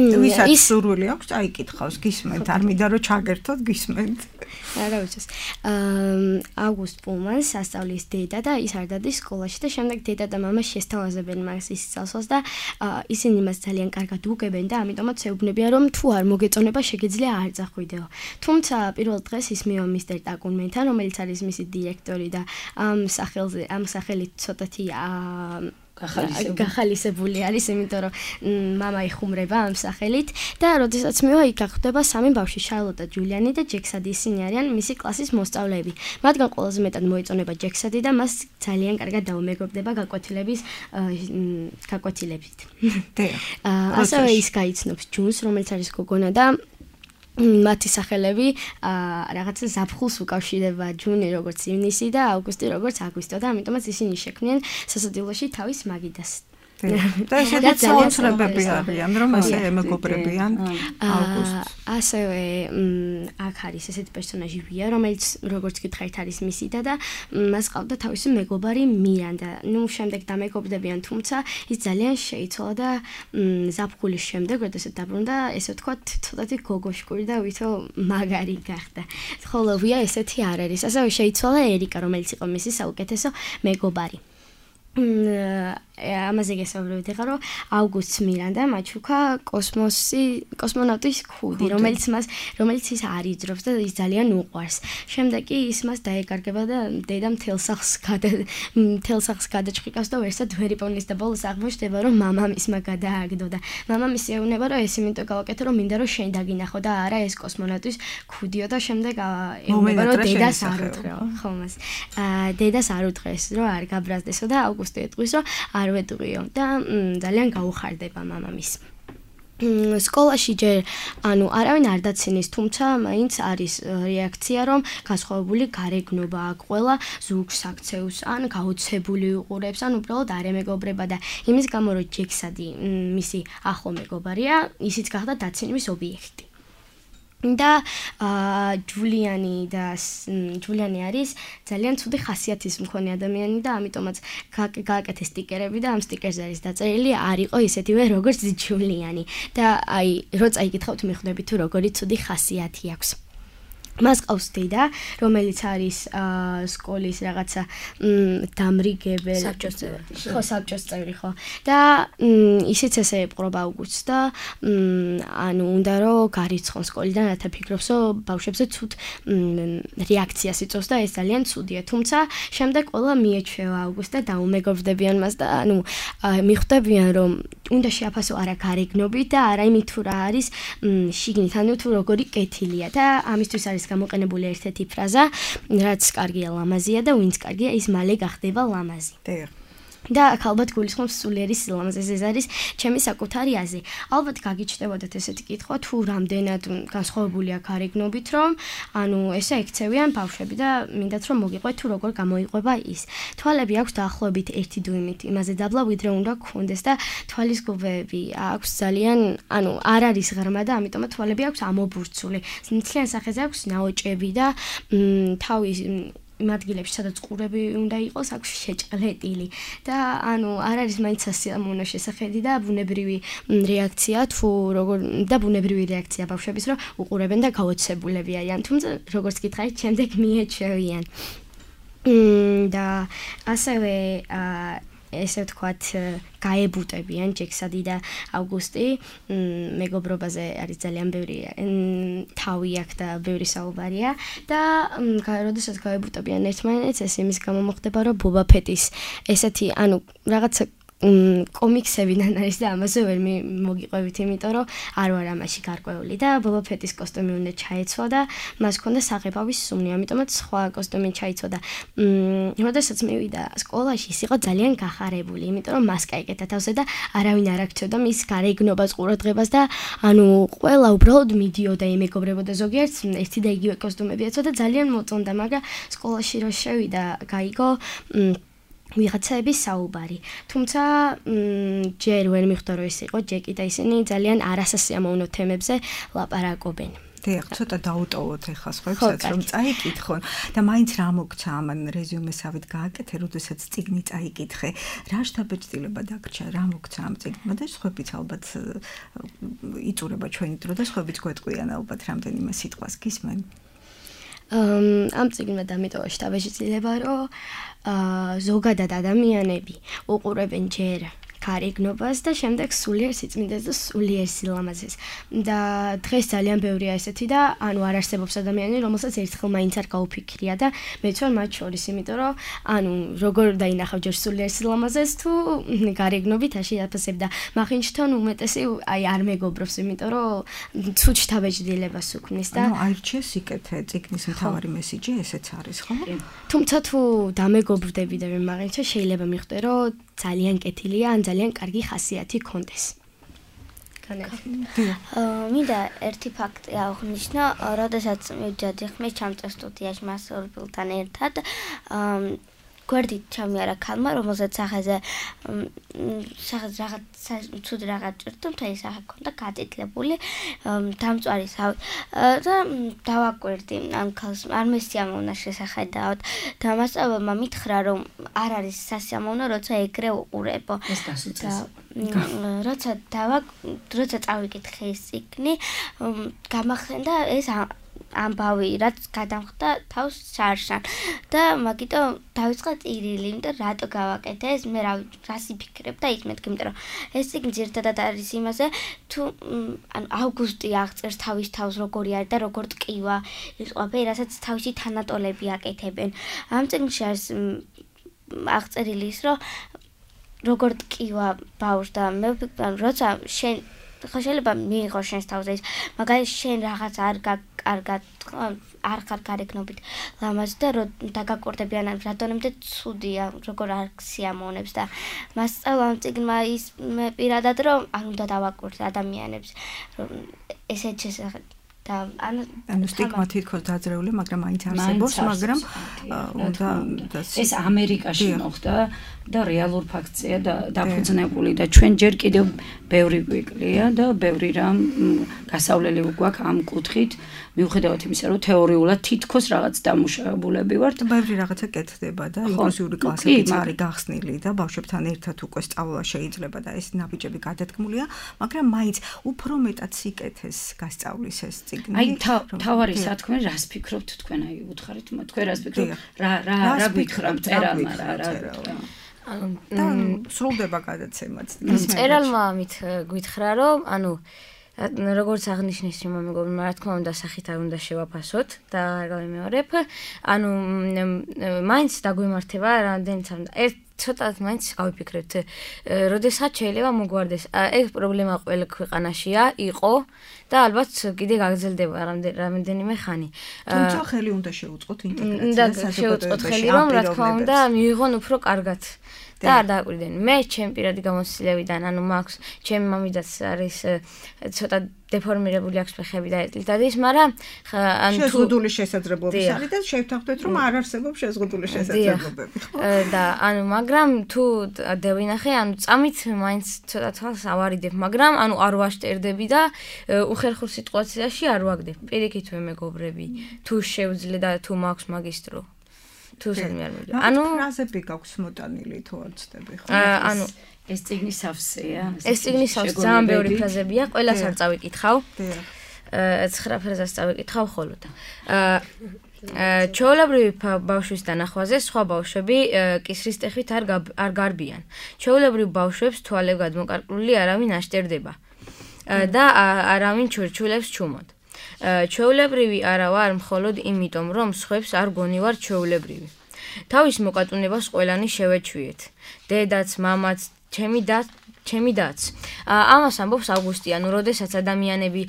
ვისაც სურვილი აქვს, აიკითხავს, გისმენთ, არ მინდა რომ ჩაგერთოთ, გისმენთ. რა ვიცი. აუგუსტ პუმანს სასწავლის დედა და ის არ დადის სკოლაში და შემდეგ დედა და მამა შესთავაზებენ მას ის წელსვას და ისინი მას ძალიან კარგად უგებენ და ამიტომაც ეუბნებიან რომ თუ არ მოგეწონება შეგიძლია არ წახვიდეო. თუმცა პირველ დღეს ის მივა მისტერ ტაკუნმენთან, რომელიც არის მისი დირექტორი და ამ სახელით ცოტათი გახალისებული არის, იმიტომ რომ მამა იხუმრება ამ სახელით და როდესაც მივა იქ გახდება სამი ბავშვი, შარლოტა, ჯულიანი და ჯექსადი, ისინი არიან მისი კლასის მოსწავლეები. მათგან ყველაზე მეტად მოეწონება ჯექსადი და მას ძალიან კარგად დაუმეგობრდება გაკვეთილებით. ასევე ის გაიცნობს ჯუნს, რომელიც არის გოგონა და მათი სახელები რაღაცა ზაფხულს უკავშირდება, ჯუნი როგორც ივნისი და აუგუსტი როგორც აგვისტო და ამიტომაც ისინი შექმნიან სასადილოში თავის მაგიდას. და ესეც საოცრებები არიან, რომ ესე ემეგობრებიან აუგუსტს. ასევე აქ არის ესეთი პერსონაჟი ვია, რომელიც როგორც გითხარით არის მისი და მას ყავდა თავისი მეგობარი მირანდა. ნუ შემდეგ დამეგობრდებიან, თუმცა ის ძალიან შეიცვალა და ზაფხულის შემდეგ, როდესაც დაბრუნდა, ესე ვთქვათ, ცოტათი გოგოშკური და ვითო მაგარი გახდა. ხოლო ვია ესეთი არ არის. ასევე შეიცვალა ერიკა, რომელიც იყო მისი საუკეთესო მეგობარი. ამაზე გესაუბრებით ახლა რომ ავგუსტს მირანდა მაჩუკა კოსმონავტის ქუდი რომელიც ის არიძრობს და ის ძალიან უყვარს. შემდეგ კი ის მას დაეკარგება და დედა მთელ სახლს გადაჭყიკავს და ვერსად ვერ იპოვნის და ბოლოს აღმოჩნდება რომ მამამისმა გადააგდო და მამამისი ეუბნება რომ ეს იმიტომ გავაკეთე რომ მინდა რომ შენ დაგინახო და არა ეს კოსმონავტის ქუდიო და შემდეგ ეუბნება რომ დედას არ უთხრეო ხომას დედას არ უთხრეს რომ არ გაბრაზდესო და ავგუსტი ეტყვის რომ არ ვეტყვიო და ძალიან გაუხარდება მამამის. სკოლაში ჯერ არავინ არ დაცინის, თუმცა მაინც არის რეაქცია, რომ განსხვავებული გარეგნობა აქვს, ყველა ზურგს აქცევს, ან გაოცებული უყურებს, ან უბრალოდ არ ემეგობრება და იმის გამო რომ ჯექსადი მისი ახლო მეგობარია, ისიც გახდა დაცინვის ობიექტი. და ჯულიანი არის ძალიან ცუდი ხასიათის მქონე ადამიანი და ამიტომაც გააკეთე სტიკერები და ამ სტიკერზე არის დაწერილი არ იყო ისეთივე როგორც ჯულიანი და აი რო წაიკითხავთ მიხვდებით თუ როგორი ცუდი ხასიათი აქვს. მას ყავს დედა, რომელიც არის სკოლის რაღაცა დამრიგებელი საბჭოს წევრი ხო და ისიც ესე ეპყრობა ავგუსტს და უნდა რომ გარიცხონ სკოლიდან რათა ფიქრობს რომ ბავშვებზე ცუდ რეაქციას იწვევს და ეს ძალიან ცუდია თუმცა შემდეგ ყველა მიეჩვევა ავგუსტს და დაუმეგობრდებიან მას და მიხვდებიან რომ უნდა შეაფასო არა გარეგნობით და არა იმით თუ რა არის შიგნით ანუ თუ როგორი კეთილია და ამისთვის არის გამოყენებული ერთ-ერთი ფრაზა, რაც კარგია ლამაზია და ვინც კარგია ის მალე გახდება ლამაზი. და აქ ალბათ გულისხმობს სულიერი სილამაზეს ეს არის ჩემი საკუთარი აზრი. ალბათ გაგიჩნდებოდათ ესეთი კითხვა თუ რამდენად განსხვავებულია გარეგნობით რომ ესე ექცევიან ბავშვები და მინდათ რომ მოგიყვეთ თუ როგორ გამოიყვება ის. თვალები აქვს დაახლოებით 1 დუიმით იმაზე დაბლა ვიდრე უნდა გქონდეს და თვალის გუბეები აქვს ძალიან არ არის ღრმა და ამიტომ თვალები აქვს ამობურცული. მთლიან სახეზე აქვს ნაოჭები და თავის იმ ადგილებში სადაც ყურები უნდა იყოს აქვს შეჭყლეტილი და არ არის მაინც სასიამოვნო შესახედი და ბუნებრივი რეაქცია თუ როგორ და ბუნებრივი რეაქცია ბავშვების რომ უყურებენ და გაოცებულები არიან თუმცა როგორც გითხარით შემდეგ მიეჩვევიან და ასევე ესე ვთქვათ გაებუტებიან ჯექსადი და ავგუსტი მეგობრობაზე არის ძალიან ბევრი თავი აქვს და ბევრი საუბარია და როდესაც გაებუტებიან ერთმანეთს ეს იმის გამო მოხდება რომ ბობა ფეტის ესეთი რაღაცა კომიქსებიდან არის და ამაზე ვერ მოგიყვებით იმიტომ რომ არ ვარ ამაში გარკვეული და ბობა ფეტის კოსტუმი უნდა ჩაეცვა და მას ჰქონდა საღებავის სუნი ამიტომაც სხვა კოსტუმი ჩაიცვა და როდესაც მივიდა სკოლაში ის იყო ძალიან გახარებული იმიტომ რომ მას გაიკეთა თავზე და არავინ არ აქცევდა მის გარეგნობას ყურადღებას და ყველა უბრალოდ მიდიოდა იმეგობრებოდა ზოგიერთს ერთი და იგივე კოსტუმები ეცვა და ძალიან მოწონდა მაგრამ სკოლაში რო შევიდა გაიგო ვიღაცაების საუბარი. თუმცა ჯერ ვერ მიხვდა რომ ის იყო ჯეკი და ისინი ძალიან არასასიამოვნო თემებზე ლაპარაკობენ. დიახ, ცოტა დაუტოვოთ ახლა სხვაებსაც რომ წაიკითხონ და მაინც რა მოგცა ამან რეზიუმესავით გააკეთე, როდესაც წიგნი წაიკითხე. რა შთაბეჭდილება დაგრჩა, რა მოგცა ამ წიგნმა და სხვაებიც ალბათ იწურება ჩვენი დრო და სხვაებიც გვეტყვიან ალბათ რამდენიმე სიტყვას გისმენ. ამ წიგნმა დამიტოვა შთაბეჭდილება რომ ზოგადად ადამიანები უყურებენ ჯერ გარეგნობას და შემდეგ სულიერ სიწმინდეს და სულიერ სილამაზეს. და დღეს ძალიან ბევრია ესეთი და არ არსებობს ადამიანი, რომელსაც ერთხელ მაინც არ გაუფიქრია და მეც ვარ მათ შორის, იმიტომ რომ როგორ დაინახავ ჯერ სულიერ სილამაზეს თუ გარეგნობით არ შეაფასებ და მახინჯთან უმეტესი არ მეგობრობს, იმიტომ რომ ცუდ შთაბეჭდილებას უქმნის და აირჩიეს იკეთე წიგნის მთავარი მესიჯი ესეც არის, ხო? თუმცა თუ დამეგობრდები და ვერ მაღინჩა შეიძლება მიხვდე რომ ძალიან კეთილია ან ძალიან კარგი ხასიათი კონდეს. მინდა ერთი ფაქტი აღნიშნო, როდესაც მივდიოდი ხმის ჩამწერ სტუდიაში მასურბილთან ერთად, გვერდით ჩამიარა ქალმა, რომელსაც სახეზე რაღაც ცუდი რაღაც ჭირდა, მთელი სახე ჰქონდა გაწითლებული, დამწვარი სავი და დავაკვირდი ამ ქალს, არ მესიამოვნა შესახედავად და მასწავლებელმა მითხრა, რომ არ არის სასიამოვნო, როცა ეგრე უყურებო. როცა წავიკითხე ეს წიგნი, გამახსენდა ეს ამბავი რაც გადამხდა თავს შარშან და მაგიტომ დავიწყე ტირილი, იმიტომ რატო გავაკეთე ეს, მე რას იფიქრებ და იცმეთ, იმიტომ რომ ეს წიგნი ძირითადად არის იმაზე, თუ ანუ ავგუსტი აღწერს თავის თავს როგორი არის და როგორ ტკივა ის ყველაფერი, რასაც თავისი თანატოლები აკეთებენ. ამ წიგნში არის აღწერილი ის, რომ როგორ ტკივა ბავშვს და მე როცა შენ ხო შეიძლება მიიღო შენს თავზე ის, მაგალითად შენ რაღაც არ ხარ გარეგნობით ლამაზი და დაგაკორდებიან რატომდე ცუდია, როგორ არ სიამოვნებს და მას სწავლა ამ წიგნმა ის მე პირადად რომ არ უნდა დავაკურთხე ადამიანებს ესეთ შესახებ და ანუ სტიგმა თითქოს დაძრეული, მაგრამ მაინც არსებობს, მაგრამ უნდა ეს ამერიკაში მოხდა და რეალურ ფაქტია და დაფუძნებული და ჩვენ ჯერ კიდევ ბევრი გვიკლია და ბევრი რამ გასავლელი გვაქვს ამ კუთხით, მიუხედავად იმისა, რომ თეორიულად თითქოს რაღაც დამუშავებულები ვართ. ბევრი რაღაცა კეთდება და ინკლუზიური კლასებიც არის გახსნილი და ბავშვებთან ერთად უკვე სწავლა შეიძლება და ეს ნაბიჯები გადადგმულია, მაგრამ მაინც უფრო მეტად სიკეთეს გასწავლის ეს წიგნი. აი თავარი სათქმე რას ფიქრობთ თქვენ, აი უთხარით, თქვენ რას ფიქრობთ? რა გიქრამ წერალმა რა და სრულდება გადაცემაც. წერალმა ამით გითხრა, რომ ანუ როგორც აღნიშნეს რომ მეგობრებმა, რა თქმა უნდა, სახით არ უნდა შევაფასოთ და არ გავიმეორებ. ანუ მაინც დაგვემართება რამდენიც ერთ ცოტათ მაინც გავიფიქრეთ, როდესაც შეიძლება მოგვარდეს. ეს პრობლემა ყველა ქვეყანაშია, იყო და ალბათ კიდე გაგრძელდება რამდენიმე ხანი. თუმცა ხელი უნდა შეუწყოთ ინტეგრაციას, შეუწყოთ ხელი, რომ რა თქმა უნდა მიიღონ უფრო კარგად. და არ დააკვირდნენ. მე ჩემი პირადი გამოცდილებიდან, ანუ მაქვს ჩემი მამიდაც არის ცოტა დეფორმირებული აქვს ფეხები და ეტლით არის, მაგრამ ანუ შეზღუდული შესაძლებლობები არის და შევთანხმდეთ, რომ არ არსებობს შეზღუდული შესაძლებლობები. და ანუ მაგრამ თუ დავინახე, ანუ წამით მაინც ცოტა თვალს ავარიდებ, მაგრამ ანუ არ ვაშტერდები და უხერხულ სიტუაციაში არ ვაგდებ. პირიქით მე მეგობრები, თუ შევძლე და თუ მაქვს მაგისტრო. ანუ ფრაზები გაქვს მოტანილი თუ არ ცდები ხო? ანუ ეს წიგნი სავსეა. ეს წიგნი სავსე ძალიან ბევრი ფრაზებია, ყველას არ წავიკითხავ. 9 ფრაზას წავიკითხავ ხოლოდ. ჩვეულებრივი ბავშვის დანახვაზე სხვა ბავშვები კისრის ტეხით არ გარბიან. ჩვეულებრივ ბავშვებს თვალები გადმოკარკლული არავინ აშტერდება და არავინ ჩურჩულებს ჩუმად. ჩვეულებრივი არა ვარ მხოლოდ იმიტომ, რომ სხვებს არ გონივარ ჩვეულებრივი. თავის მოკატუნებას ყველანი შევეჩვიეთ. დედაც, მამაც, ჩემი დაც. ამას ამბობს ავგუსტი, ანუ როდესაც ადამიანები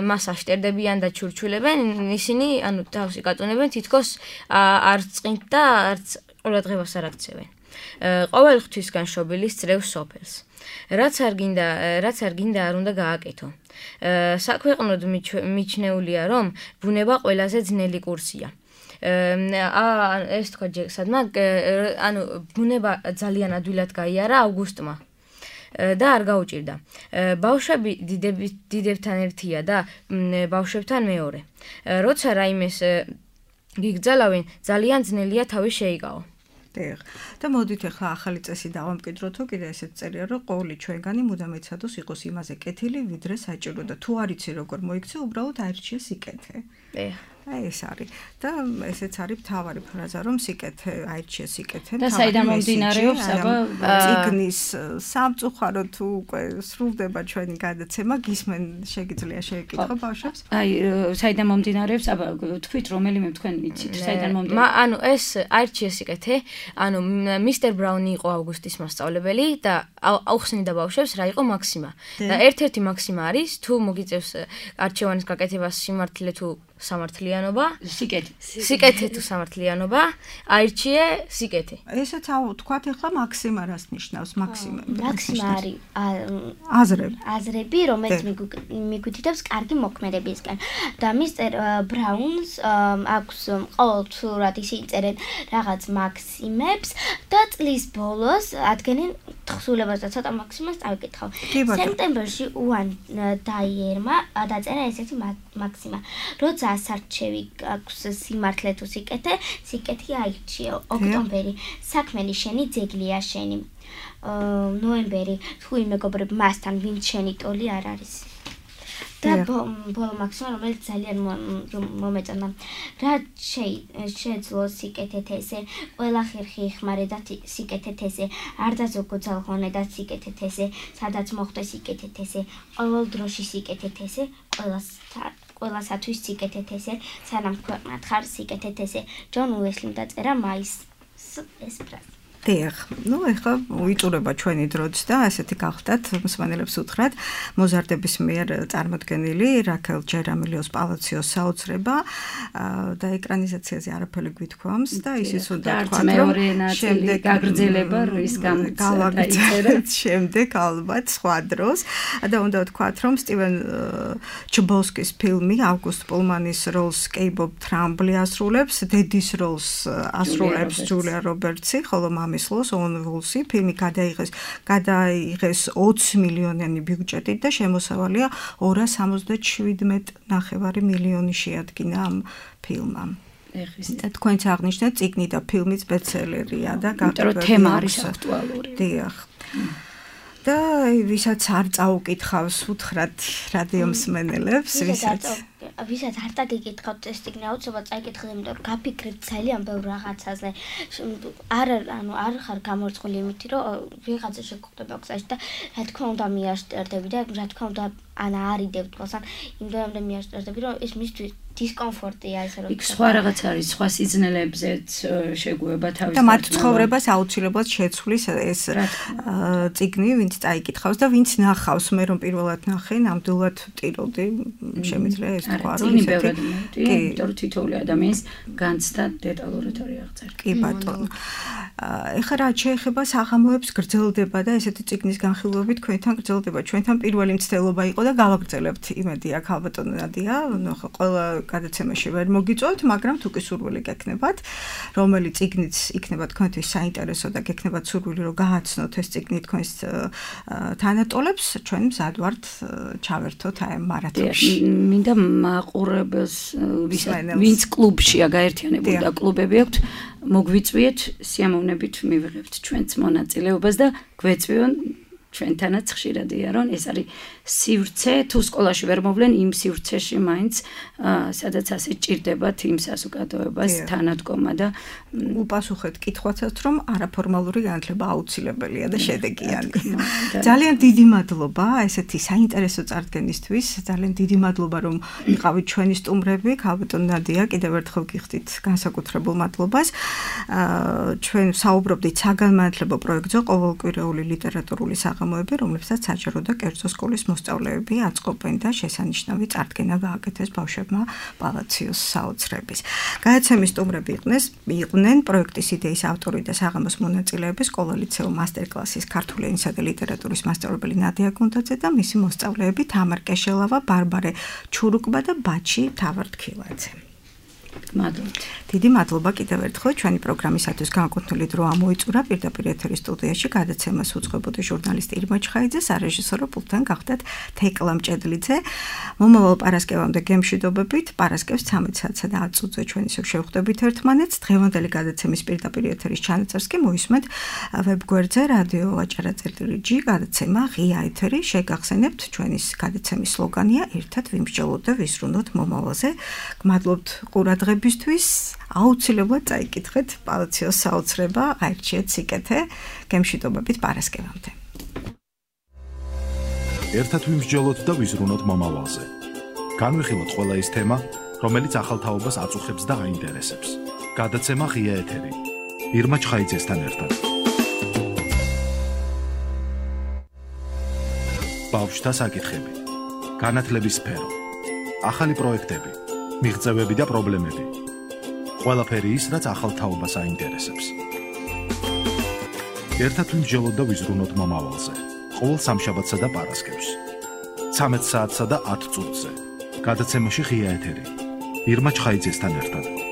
მას აშტერდებიან და ჩურჩულებენ, ისინი ანუ თავს იკატუნებენ, თითქოს არ წყინთ და არც ყურადღებას არ აქცევენ. ყოველ ღვთისგან შობილის წრევს სოფელს. რაც არ გინდა არ უნდა გააკეთო. საქვეყნოდ მიჩნეულია, რომ ბუნება ყველაზე ძნელი კურსია. ეს თქვა სადმა, ანუ ბუნება ძალიან ადვილად გაიარა ავგუსტმა და არ გაუჭირდა. ბავშვები დიდებთან ერთია და ბავშვებთან მეორე. როცა რაიმეს გიგზალავენ, ძალიან ძნელია თავი შეიკავო. და მოდით ახლა ახალი წესი დავამკვიდროთ, კიდე ესეც წერია, რომ ყოველი ჩვენგანი მუდამ ეცადოს იყოს იმაზე კეთილი, ვიდრე საჭირო და თუ არ იცი როგორ მოიქცე, უბრალოდ აირჩიე სიკეთე. აი ეს არის და ესეც არის მთავარი ფრაზა, რომ სიკეთე, აირჩიე სიკეთე. და საიდან მომდინარეობს აბა წიგნის სამწუხარო თუ უკვე სრულდება ჩვენი გადაცემა, გისმენ შეგიძლია შეეკითხო ბავშვებს? აი საიდან მომდინარეობს, აბა თქვით რომელიმე თქვენ იცით, საიდან მომდინარეობს? ანუ ეს აირჩიე სიკეთე, ანუ მისტერ ბრაუნი იყო ავგუსტის მასწავლებელი და აუხსნიდა ბავშვებს რა იყო მაქსიმა. და ერთ-ერთი მაქსიმა არის, თუ მოგიწევს არჩევანის გაკეთებას სიმართლე თუ სამართლიანობა, სიკეთე თუ სამართლიანობა, აირჩიე სიკეთე. ესეც თქვათ ახლა მაქსიმა რას ნიშნავს? მაქსიმა არის აზრები, რომელიც მიგვითითებს კარგი მოქმედებისკენ. და მისტერ ბრაუნს აქვს ყოველთვიურად ისინი წერენ რაღაც მაქსიმებს და წლის ბოლოს ადგენენ თხზულებას და ცოტა მაქსიმას წავიკითხავ. სექტემბერში უან დაიერმა დაწერა ესეთი მაქსიმა. როცა ასარჩევი აქვს სიმართლე თუ სიკეთე, სიკეთე აირჩიე. ოქტომბერი, საქმენი შენი ძეგლია შენი. ნოემბერი, თუ იმ მეგობრებ მასთან ვინც შენი ტოლი არ არის. და ბოლო მაქსიმუმ რომელიც ძალიან მომეწონა რა შეძლო სიკეთეთ ესე ყველა ხერხი იხმარე და სიკეთეთ ესე არ დაზოგო ძალხონე და სიკეთეთ ესე სადაც მოხდა სიკეთეთ ესე ყოველ დროში სიკეთეთ ესე ყველასათვის სიკეთეთ ესე სანამ ქვეყნად ხარ სიკეთეთ ესე ჯონ უესლიმ დაწერა მაის ეს ფრაზა დიახ, ეხლა ვიწურება ჩვენი დროც და ასეთი გახდათ მსმენელებს უთხრათ მოზარდების მიერ წარმოდგენილი რაქელ ჯერამილიოს პალაციოს საოცრება და ეკრანიზაციაზე არაფერი გვითქვამს და ისიც უნდა თქვათ რომ შემდეგ გაგრძელება რის გამოც დაიწერეთ შემდეგ ალბათ სხვა დროს და უნდა ვთქვათ რომ სტივენ ჩბოსკის ფილმი ავგუსტ პულმანის როლს კეიბობ ტრამბლი ასრულებს დედის როლს ასრულებს ჯულია რობერტსი ხოლო მამის ონ ვულსი ფილმი გადაიღეს 20 მილიონიანი ბიუჯეტით და შემოსავალია 277.5 მილიონი შეადგინა ამ ფილმამ. და თქვენც აღნიშნეთ წიგნი და ფილმიც ბესტსელერია და თემა არის აქტუალური. დიახ. და ვისაც არ წაუკითხავს უთხრათ რადიო მსმენელებს ვისაც არ დაგიკითხავთ ეს წიგნი აუცილებლად წაიკითხეთ იმიტომ რომ გაფიქრეთ ძალიან ბევრ რაღაცაზე არ ხარ გამორწყული იმითი რომ ვიღაცა შეგხვდება გზაში და რა თქმა უნდა მიაშტერდები და რა თქმა უნდა არიდებ თვალს ან იმდენამდე მიაშტერდები რომ ეს მისთვის დისკომფორტია ესე რომ იქ სხვა რაღაც არის სხვა სიზნელებზეც შეგუება თავის და მათ ცხოვრებას აუცილებლად შეცვლის ეს წიგნი ვინც წაიკითხავს და ვინც ნახავს მე რომ პირველად ნახე ნამდვილად ტიროდი შემიძლია ეს თქვა რომ იმიტომ რომ თითოეული ადამიანის განცდა დეტალურად არის აღწერილი კი ბატონო ეხლა რა შეეხება საღამოებს გრძელდება და ესეთი წიგნის განხილვებით თქვენთან გრძელდება ჩვენთან პირველი მცდელობა იყო და გავაგრძელებთ იმედი აქ ალბათო ნადია ხო ყველა გადაცემაში ვერ მოგიწევთ მაგრამ თუ კი სურვილი გექნებათ რომელი წიგნიც იქნება თქვენთვის საინტერესო და გექნებათ სურვილი რომ გააცნოთ ეს წიგნი თქვენს თანატოლებს ჩვენ მზად ვართ ჩავერთოთ აი მარათონში მინდა მაყურებელს ვინც კლუბშია გაერთიანებული და კლუბები აქვთ მოგვიწვიეთ სიამოვნებით მივიღებთ ჩვენც მონაწილეობას და გვეწვიონ ჩვენთანაც ხშირადია რომ ეს არის სივრცე თუ სკოლაში ვერ მოვლენ იმ სივრცეში მაინც სადაც ასე ჭირდებათ იმ საზოგადოებას თანადგომა და უპასუხეთ კითხვასაც რომ არაფორმალური განათლება აუცილებელია და შედეგიანი ძალიან დიდი მადლობა ესეთი საინტერესო წარდგენისთვის ძალიან დიდი მადლობა რომ იყავით ჩვენი სტუმრები ქალბატონ ნადია კიდევ ერთხელ გიხდით განსაკუთრებულ მადლობას ჩვენ საუბრობდით საგანმანათლებლო პროექტზე ყოველკვირეული ლიტერატურული საღამოები რომლებსაც საჯარო და კერძო სკოლის მოსწავლეები აწყობენ და შესანიშნავი წარდგენა გააკეთეს ბავშვებმა პალაციოს საოცრების. გადაცემის სტუმრები იყვნენ პროექტის იდეის ავტორი და საღამოს მონაწილეები სკოლა ლიცეუმ მასტერკლასის ქართული ენისა და ლიტერატურის მასწავლებელი ნადია გუნდაძე და მისი მოსწავლეები თამარ კეშელავა, ბარბარე ჩურუკბა და ბაჩი თავარდქილაძე. მადლობთ. დიდი მადლობა კიდევ ერთხელ ჩვენი პროგრამისათვის განკუთვნილი დრო ამოიწურა პირდაპირ ეთერის სტუდიაში გადაცემას უძღვებოდი ჟურნალისტი ირმა ჩხაიძე, სარეჟისორო პულტთან გახდათ თეკლა მჭედლიძე. მომავალ პარასკევამდე გემშვიდობებით, პარასკევს 13 საათსა და 10 წუთზე ჩვენ ისევ შევხვდებით ერთმანეთს. დღევანდელი გადაცემის პირდაპირ ეთერის ჩანაწერს კი მოისმენთ ვებგვერდზე რადიო ვაჭარა.g გადაცემა ღია ეთერი. შეგახსენებთ ჩვენი გადაცემის სლოგანია ერთად ვიმსჯელოთ და ვისრუნოთ მომავალზე. გმადლობთ ყურადღებისთვის. აუცილებლად წაიკითხეთ პალაციოს საოცრება, აირჩიეთ სიკეთე, გემშვიდობებით პარასკევამდე. ერთად ვიმსჯელოთ და ვიზრუნოთ მომავალზე. განვიხილოთ ყველა ის თემა, რომელიც ახალ თაობას აწუხებს და აინტერესებს. გადაცემა ღია ეთერი. ირმა ჩხაიძესთან ერთად. ბავშვთა საკითხები. განათლების სფერო. ახალი პროექტები. მიღწევები და პრობლემები. ყველაფერი ის, რაც ახალ თაობას აინტერესებს. ერთად ვიმსჯელოთ და ვიზრუნოთ მომავალზე. ყოველ სამშაბათსა და პარასკევს. 13 საათსა და 10 წუთზე. გადაცემაში ღია ეთერი. ირმა ჩხაიძესთან ერთად.